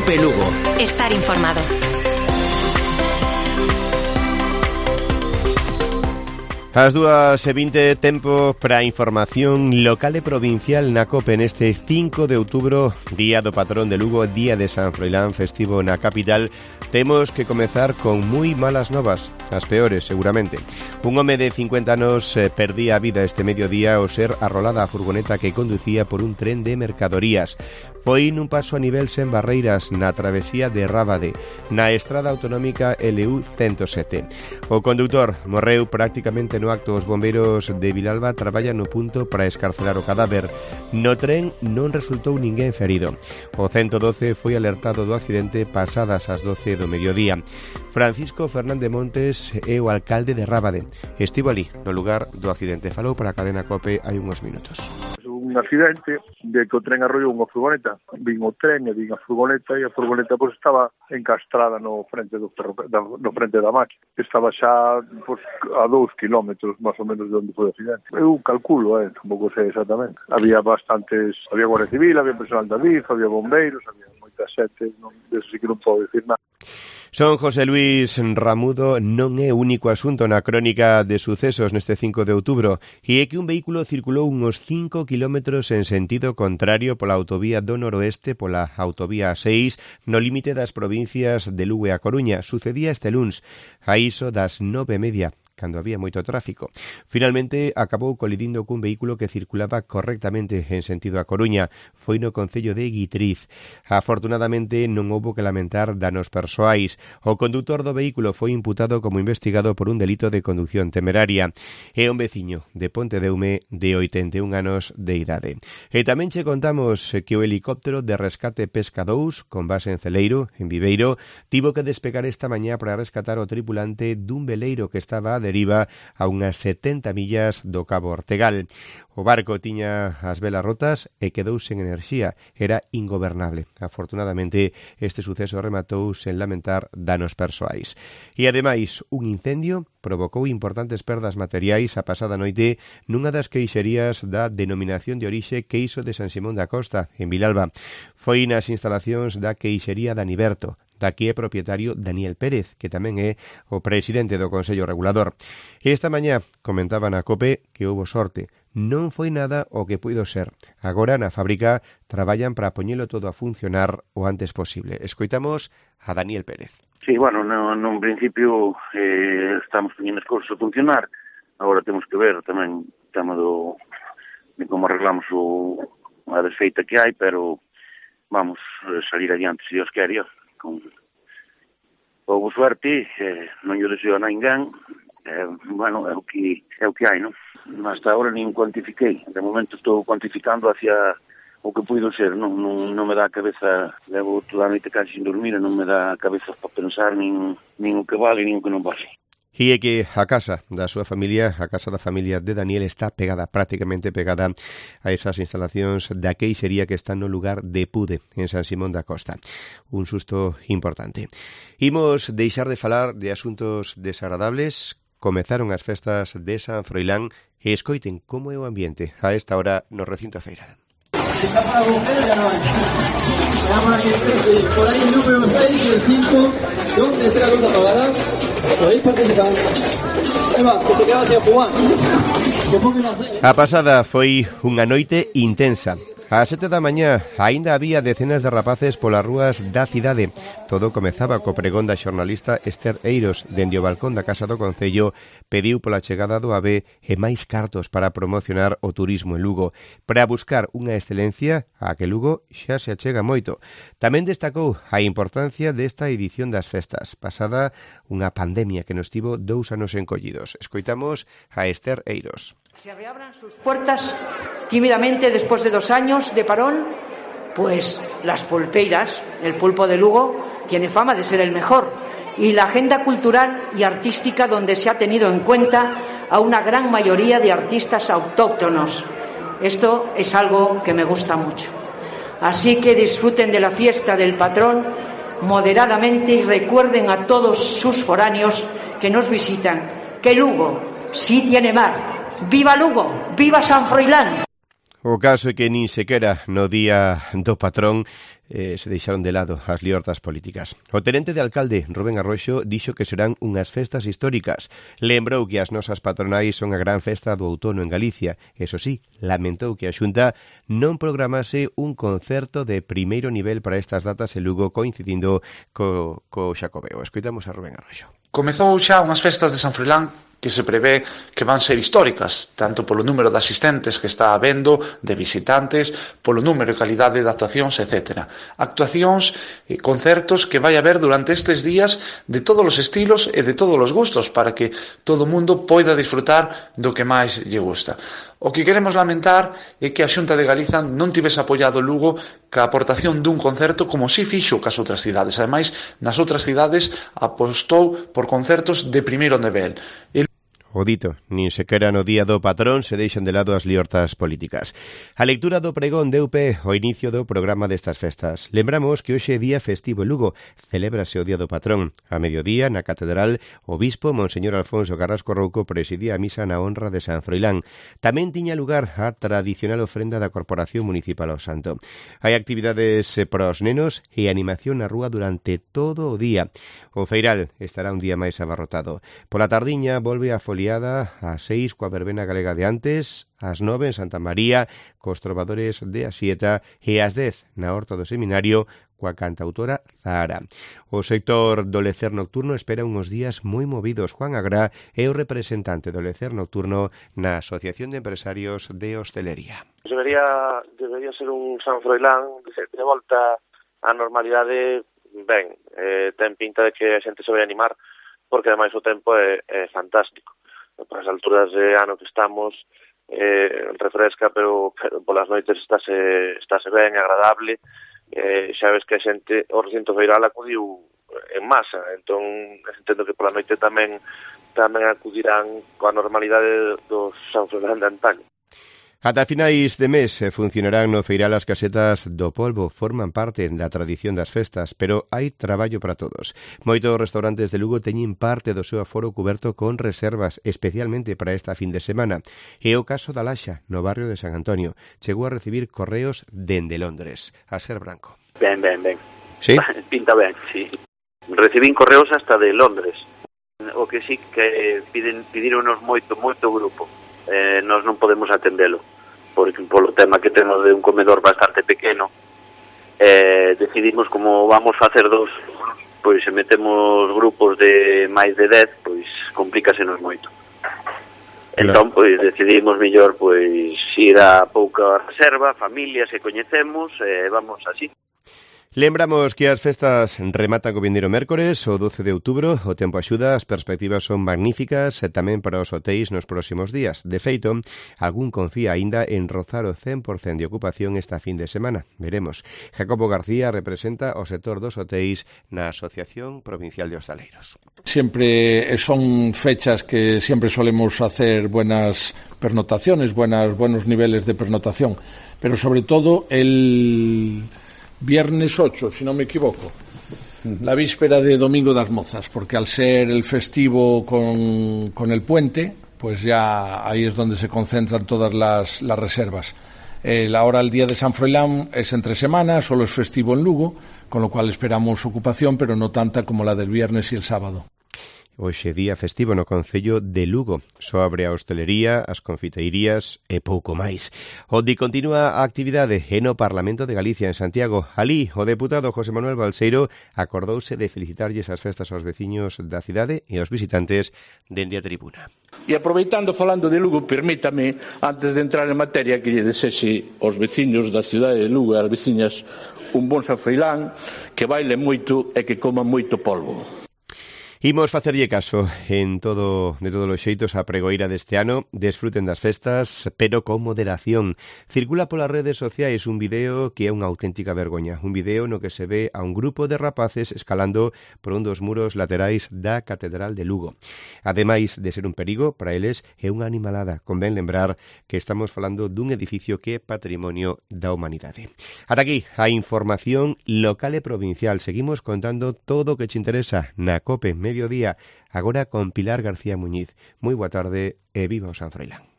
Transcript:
COPE Lugo. Estar informado. As 2:20, tempo para información local e provincial na COPE neste 5 de outubro, día do patrón de Lugo, día de San Froilán, festivo na capital. Temos que comezar con moi malas novas, as peores seguramente. Un home de 50 anos perdía a vida este mediodía ao ser arrolada a furgoneta que conducía por un tren de mercadorías. Foi nun paso a nivel sen barreiras na travesía de Rábade, na estrada autonómica LU 107. O condutor morreu prácticamente no acto. Os bombeiros de Vilalba traballan no punto para escarcelar o cadáver. No tren non resultou ninguén ferido. O 112 foi alertado do accidente pasadas as 12 do mediodía. Francisco Fernández Montes é o alcalde de Rábade. Estivo ali, no lugar do accidente. Falou para a cadena COPE hai uns minutos. Un accidente de que o tren arrollou unha furgoneta. Vin o tren e vin a furgoneta pois estaba encastrada no frente da máquina. Estaba xa a 2 kilómetros máis ou menos de onde foi o accidente. Eu calculo, tampouco sei exactamente. Había Guardia Civil, había personal da DIF, había bombeiros, había moita xente, de eso sí que non podo dicir nada. Son José Luis Ramudo non é o único asunto na crónica de sucesos neste 5 de outubro, e é que un vehículo circulou uns 5 kilómetros en sentido contrario pola autovía do noroeste, pola autovía 6, no límite das provincias de Lugo e A Coruña. Sucedía este luns, a iso das 9:30. Cando había moito tráfico. Finalmente acabou colidindo cun vehículo que circulaba correctamente en sentido a Coruña. Foi no concello de Guitriz. Afortunadamente non houbo que lamentar danos persoais. O condutor do vehículo foi imputado como investigado por un delito de conducción temeraria. É un veciño de Pontedeume de 81 anos de idade. E tamén che contamos que o helicóptero de rescate Pesca 2, con base en Celeiro, en Viveiro, tivo que despegar esta mañá para rescatar o tripulante dun veleiro que estaba a deriva a unhas 70 millas do Cabo Ortegal. O barco tiña as velas rotas e quedou sen enerxía. Era ingobernable. Afortunadamente, este suceso rematou sen lamentar danos persoais. E, ademais, un incendio provocou importantes perdas materiais a pasada noite nunha das queixerías da denominación de orixe Queixo de San Simón da Costa, en Vilalba. Foi nas instalacións da queixería de Aniberto. Daqui é propietario Daniel Pérez, que tamén é o presidente do Consello Regulador. Esta mañá comentaban a COPE que houbo sorte. Non foi nada o que puido ser. Agora na fábrica traballan para poñelo todo a funcionar o antes posible. Escoitamos a Daniel Pérez. Sí, bueno, nun principio estamos poñendo as cousas a funcionar. Agora temos que ver tamén o tema de como arreglamos a desfeita que hai, pero vamos salir adiante se Dios quere. Houve suerte, non lle deseo a ninguén, bueno, é o que hai, non? Hasta agora nin cuantifiquei, de momento estou cuantificando hacia o que puido ser, non me dá a cabeza, levo toda a noite casi sin dormir, non me dá a cabeza para pensar nin o que vale, nin o que non vale. E é que a casa da súa familia, a casa da familia de Daniel, está prácticamente pegada a esas instalacións da queixería que está no lugar de Pude, en San Simón da Costa. Un susto importante. Imos deixar de falar de asuntos desagradables. Comezaron as festas de San Froilán e escoiten como é o ambiente a esta hora no recinto feiral. Está para bomberos, ya no hay. Por ahí el número 6 y el 5, ¿dónde está la luz apagada? Podéis participar. Ahí va, que se queda sin jugar. A pasada foi unha noite intensa. Ás 7 da mañá aínda había decenas de rapaces polas rúas da cidade. Todo comezaba co pregón da xornalista Esther Eiros. Dende o balcón da Casa do Concello pediu pola chegada do AVE e máis cartos para promocionar o turismo en Lugo, para buscar unha excelencia a que Lugo xa se achega moito. Tamén destacou a importancia desta edición das festas, pasada unha pandemia que nos tivo 2 anos encollidos. Escoitamos a Esther Eiros. Se reabran sus puertas tímidamente después de 2 años de parón, pues las pulpeiras, el pulpo de Lugo, tiene fama de ser el mejor. Y la agenda cultural y artística donde se ha tenido en cuenta a una gran mayoría de artistas autóctonos. Esto es algo que me gusta mucho. Así que disfruten de la fiesta del patrón moderadamente y recuerden a todos sus foráneos que nos visitan que Lugo sí tiene mar. ¡Viva Lugo! ¡Viva San Froilán! O caso é que nin sequera no día do patrón se deixaron de lado as liortas políticas. O tenente de alcalde, Rubén Arroxo, dixo que serán unhas festas históricas. Lembrou que as nosas patronais son a gran festa do outono en Galicia. Eso sí, lamentou que a Xunta non programase un concerto de primeiro nivel para estas datas en Lugo coincidindo co Xacobeo. Escoitamos a Rubén Arroxo. Comezou xa unhas festas de San Froilán que se prevé que van ser históricas, tanto polo número de asistentes que está habendo, de visitantes, polo número e calidade de actuacións, etc. Actuacións e concertos que vai haber durante estes días de todos os estilos e de todos os gustos para que todo o mundo poida disfrutar do que máis lle gusta. O que queremos lamentar é que a Xunta de Galiza non tivese apoiado Lugo ca aportación dun concerto como si fixo cas outras cidades. Ademais, nas outras cidades apostou por concertos de primeiro nivel. O dito, nin sequera no día do patrón se deixan de lado as liortas políticas. A lectura do pregón deu pé ao inicio do programa destas festas. Lembramos que hoxe é día festivo en Lugo, celébrase o día do patrón. A mediodía, na catedral, o bispo Monseñor Alfonso Carrasco Rouco presidía a misa na honra de San Froilán. Tamén tiña lugar a tradicional ofrenda da Corporación Municipal ao Santo. Hai actividades para os nenos e animación na rúa durante todo o día. O feiral estará un día máis abarrotado. Pola tardiña volve a foliada ás 6 coa verbena galega de antes, ás 9 en Santa María cos trovadores de Asieta e ás 10 na Horta do Seminario coa cantautora Zahara. O sector do lecer nocturno espera uns días moi movidos. Juan Agrá é o representante do lecer nocturno na Asociación de Empresarios de Hostelería. Debería ser un San Froilán de volta á normalidade ben. Ten pinta de que a xente se vai animar porque ademais o tempo é fantástico. Para as alturas de ano que estamos refresca, pero polas noites estáse ben, agradable. Xa ves que a xente o recinto feiral acudiu en masa, entón entendo que pola noite tamén acudirán coa normalidade dos San Froilán de antaño. Ata finais de mes funcionarán no feiral as casetas do polvo, forman parte da tradición das festas, pero hai traballo para todos. Moitos restaurantes de Lugo teñen parte do seu aforo cuberto con reservas, especialmente para esta fin de semana. E o caso da Laxa, no barrio de San Antonio, chegou a recibir correos dende Londres. A Ser Branco. Ben. Sí? Pinta ben, sí. Recibín correos hasta de Londres. O que sí que pidíronos moito grupo. Nós non podemos atendelo porque polo tema que temos de un comedor bastante pequeno, decidimos como vamos facer dos, pois se metemos grupos de máis de 10, pois complícasenos moito. Entón, pois decidimos mellor pois ir a pouca reserva, familias que coñecemos, vamos así. Lembramos que as festas rematan o vindeiro mércores, o 12 de outubro, o tempo axuda, as perspectivas son magníficas e tamén para os hotéis nos próximos días. De feito, algún confía aínda en rozar o 100% de ocupación esta fin de semana. Veremos. Jacobo García representa o sector dos hotéis na Asociación Provincial de Hostaleiros. Siempre son fechas que siempre solemos hacer buenas pernotaciones, buenos niveles de pernotación, pero sobre todo el viernes 8, si no me equivoco, la víspera de Domingo das Mozas, porque al ser el festivo con el puente, pues ya ahí es donde se concentran todas las reservas. Ahora el día de San Froilán es entre semana, solo es festivo en Lugo, con lo cual esperamos ocupación, pero no tanta como la del viernes y el sábado. Hoxe día festivo no concello de Lugo. Só abre a hostelería, as confiteirías e pouco máis. Onde continúa a actividade é no Parlamento de Galicia, en Santiago. Alí, o deputado José Manuel Balseiro acordouse de felicitarlles as festas aos veciños da cidade e aos visitantes dende a tribuna. E aproveitando, falando de Lugo, permítame, antes de entrar en materia, que lle desese aos veciños da cidade de Lugo e ás veciñas un bon San Froilán, que bailen moito e que coman moito polvo. Imos facerlle caso de todos os xeitos a pregoeira deste ano. Desfruten das festas, pero con moderación. Circula polas redes sociais un vídeo que é unha auténtica vergoña. Un vídeo no que se ve a un grupo de rapaces escalando por un dos muros laterais da Catedral de Lugo. Ademais de ser un perigo, para eles é unha animalada. Convén lembrar que estamos falando dun edificio que é patrimonio da humanidade. Ata aquí a información local e provincial. Seguimos contando todo o que te interesa na COPE Mediodía, agora con Pilar García Muñiz. Moi boa tarde e viva o San Froilán.